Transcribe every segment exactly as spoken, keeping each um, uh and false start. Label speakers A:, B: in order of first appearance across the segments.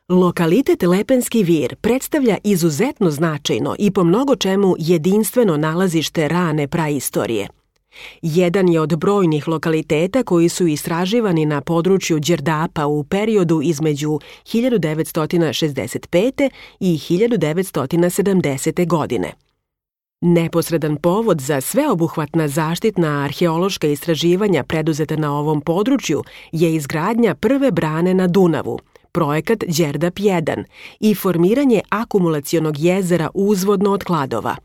A: Lokalitet Lepenski vir predstavlja izuzetno značajno i po mnogo čemu jedinstveno nalazište rane praistorije. Jedan je od brojnih lokaliteta koji su istraživani na području Đerdapa u periodu između hiljadu devetsto šezdeset pete. i hiljadu devetsto sedamdesete. godine. Neposredan povod za sveobuhvatna zaštitna arheološka istraživanja preduzeta na ovom području je izgradnja prve brane na Dunavu, projekat Đerdap jedan i formiranje akumulacionog jezera uzvodno od Kladova.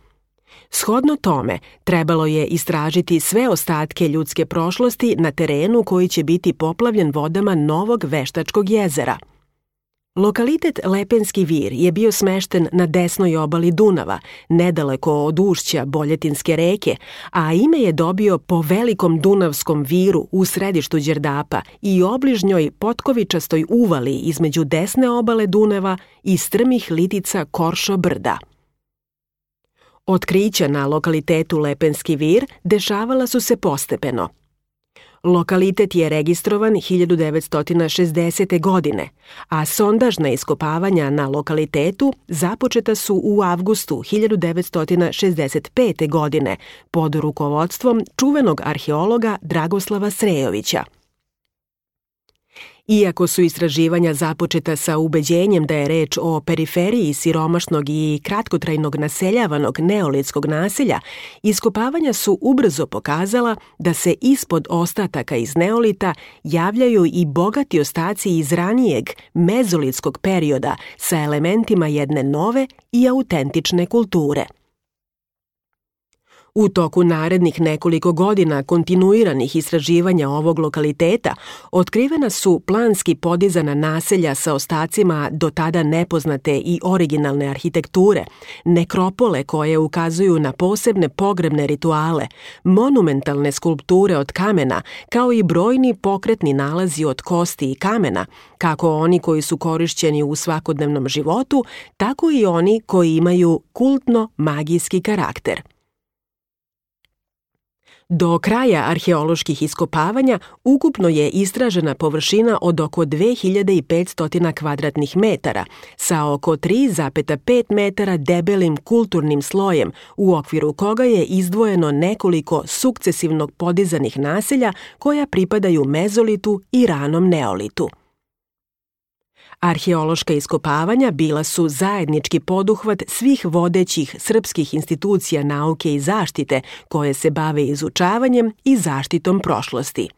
A: Shodno tome, trebalo je istražiti sve ostatke ljudske prošlosti na terenu koji će biti poplavljen vodama novog veštačkog jezera. Lokalitet Lepenski vir je bio smešten na desnoj obali Dunava, nedaleko od ušća Boljetinske reke, a ime je dobio po velikom Dunavskom viru u središtu Đerdapa i obližnjoj potkovičastoj uvali između desne obale Dunava i strmih litica Koršo brda. Otkrića na lokalitetu Lepenski vir dešavala su se postepeno. Lokalitet je registrovan hiljadu devetsto šezdesete. godine, a sondažna iskopavanja na lokalitetu započeta su u avgustu hiljadu devetsto šezdeset pete. godine pod rukovodstvom čuvenog arheologa Dragoslava Srejovića. Iako su istraživanja započeta sa ubeđenjem da je reč o periferiji siromašnog i kratkotrajnog naseljavanog neolitskog naselja, iskopavanja su ubrzo pokazala da se ispod ostataka iz neolita javljaju i bogati ostaci iz ranijeg mezolitskog perioda sa elementima jedne nove i autentične kulture. U toku narednih nekoliko godina kontinuiranih istraživanja ovog lokaliteta otkrivena su planski podizana naselja sa ostacima do tada nepoznate i originalne arhitekture, nekropole koje ukazuju na posebne pogrebne rituale, monumentalne skulpture od kamena, kao i brojni pokretni nalazi od kosti i kamena, kako oni koji su korišćeni u svakodnevnom životu, tako i oni koji imaju kultno-magijski karakter. Do kraja arheoloških iskopavanja ukupno je istražena površina od oko dve hiljade petsto kvadratnih metara sa oko tri zarez pet metara debelim kulturnim slojem u okviru koga je izdvojeno nekoliko sukcesivnog podizanih naselja koja pripadaju mezolitu i ranom neolitu. Arheološka iskopavanja bila su zajednički poduhvat svih vodećih srpskih institucija nauke i zaštite koje se bave izučavanjem i zaštitom prošlosti.